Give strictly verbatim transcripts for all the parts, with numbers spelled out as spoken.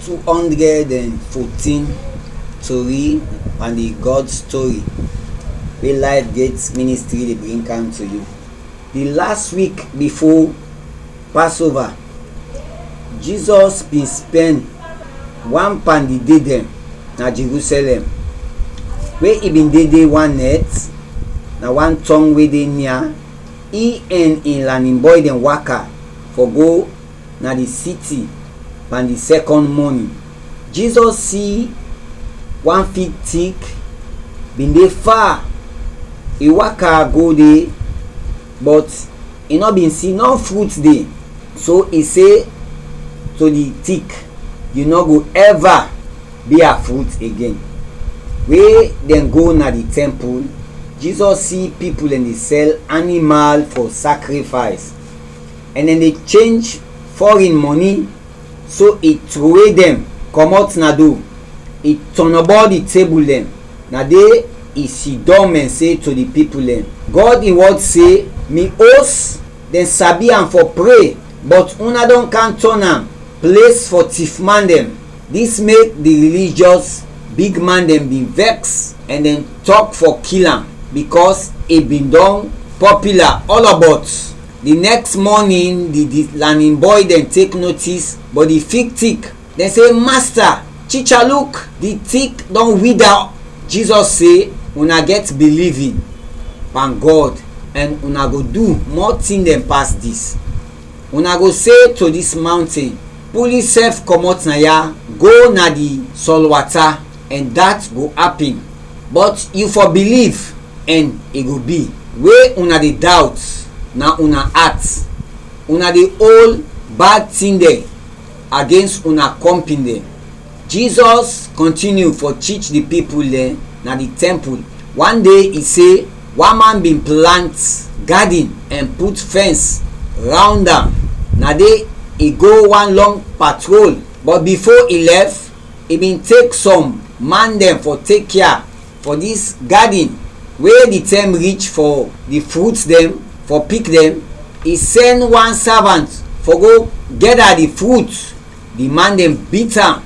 Two hundred and fourteen tori and di God story wey Life Gate Ministry dey bring come to you. Di last week before Passover, Jesus bin spend one pan di day dem na Jerusalem, wey e bin dey dey one net, na one town wey dey nia. I and in lanin bɔy dem waka for go na di city pan di second morning. Jesus si one fig tik bin dey far. I waka go de, but i nɔ bin si nɔ frut de. So i se to di tik, "Yu nɔ go ɛva bia frut agen." We dɛn go na di tɛmpul, Jesus si pipul ɛn de sɛl animal fɔ sakrifays, ɛn dɛn de chenj fɔrin mɔni. So i trowe dɛn kɔmɔt na do, i tɔnɔbɔ di tebul dɛn, na de i sidɔm ɛn se to di pipul dɛn, "Gɔd in wɔd se, 'Mi os dɛn sabi am fɔ pre, bɔt una dɔn kam tɔn am ples fɔ tifman dɛn.'" Dis mek di rilijɔs bigman dɛn bin vɛks ɛn dɛn tɔk fɔ kil am, bikɔs i bin dɔn pɔpila ɔlɔbɔt. Di nɛks mɔnin, di, di lanin bɔy dɛn tek notis bɔt di fig tik. Dɛn se, "Masta, Ticha, luk, di tik dɔn wida." Jizɔs se, "Una gɛt bilivin pan Gɔd, ɛn una go du mɔ tin dɛn pas dis. Una go se to dis mawnten, 'Pul yusɛf kɔmɔt na ya, go na di sɔlwata,' ɛn dat go apin. Bɔt yu fɔ biliv, ɛn i go bi. We una de dawt na una at, una de ol bad tin dɛn agens una kɔmpin dɛn." Jizɔs kɔntiniu fɔ tich di pipul dɛn na di tɛmpul. Wan de i se, wan man bin plant gadin ɛn put fɛns rawnd am. Na de i go wan lɔng patrol, bɔt bifo i lɛf, i bin tek sɔm man dɛn fɔ tek kea fɔ dis gadin. We di tɛm rich fɔ di frut dɛn fɔ pik dɛn, i sɛn wan savant fɔ go gɛda di frut. Di man dɛn bit am,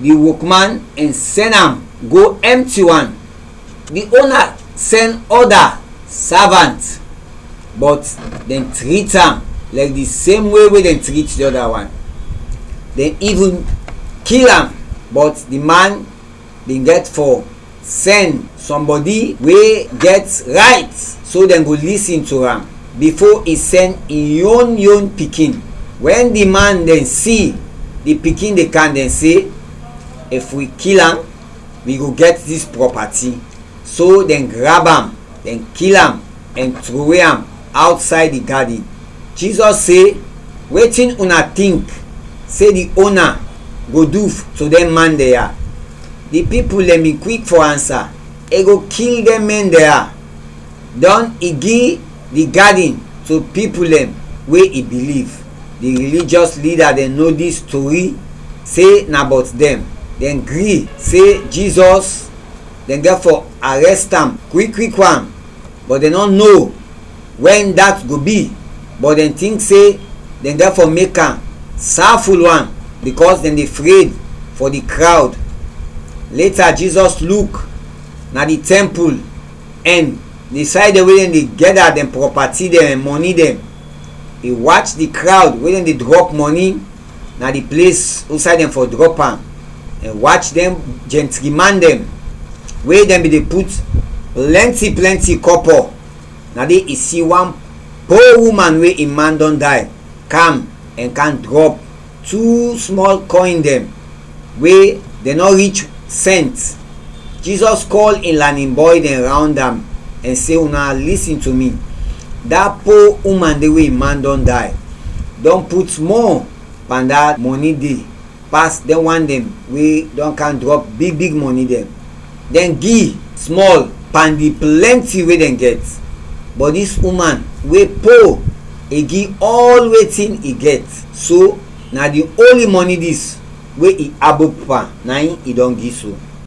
di wokman, ɛn sɛn am go ɛmti wan. Di ona sɛn ɔda savant, bɔt dɛn trit am lɛk di sem we we dɛn trit di ɔda wan. Dɛn ivin kil am, bɔt di man bin gɛt fɔ sɛn sɔmbɔdi we gɛt rayt, so dɛn go lisin to am, bifo i sɛn in yon yon pikin. Wɛn di man dɛn si di pikin de kam, dɛn se, "If wi kil am, wi go gɛt dis prɔpati." So dɛn grab am, dɛn kil am, ɛn trowe am awtsayd di gadin. Jizɔs se, "Wetin una tink se di ona go du to dɛn man dɛn ya?" Di pipul dɛn bin kwik fɔ ansa, "I go kil dɛn mɛn dɛn ya." Dɔn i gi di gadin to pipul dɛn we i biliv. Di rilijɔs lida dɛn no dis tori se na bɔt dɛn. Dɛn gri se Jizɔs, dɛn gɛt fɔ arɛst am kwik kwik wan, bɔt dɛn nɔ no wɛn dat go bi, bɔt dɛn tink se dɛn gɛt fɔ mek am saful wan, bikɔs dɛn de fred fɔ di krawd. Leta Jizɔs luk na di tɛmpul ɛn di sayd dɛn we dɛn de gɛda dɛn prɔpati dɛn ɛn mɔni dɛn. I wach di krawd we dɛn de drɔp mɔni na di ples usay dɛn fɔ drɔp am, ɛn wach dɛn jɛntri man dɛn we dɛn bin de put plɛnti plɛnti kɔpɔ. Na de i si wan po uman we in man dɔn day kam ɛn kam drɔp tu smɔl kɔyn dɛn we dɛn nɔ rich sɛnt. Jizɔs kɔl in lanin bɔy dɛn rawnd am ɛn se, "Una lisin to mi. Da po uman de we in man dɔn day dɔn put mɔ pan da mɔni de pas dɛn wan dɛn we dɔn kam drɔp big big mɔni dɛn. Dɛn gi smɔl pan di plɛnti we dɛn gɛt, bɔt dis uman we po, i gi ɔl wetin i gɛt. So na di onli mɔni dis we i abop pan, na in i dɔn gi so."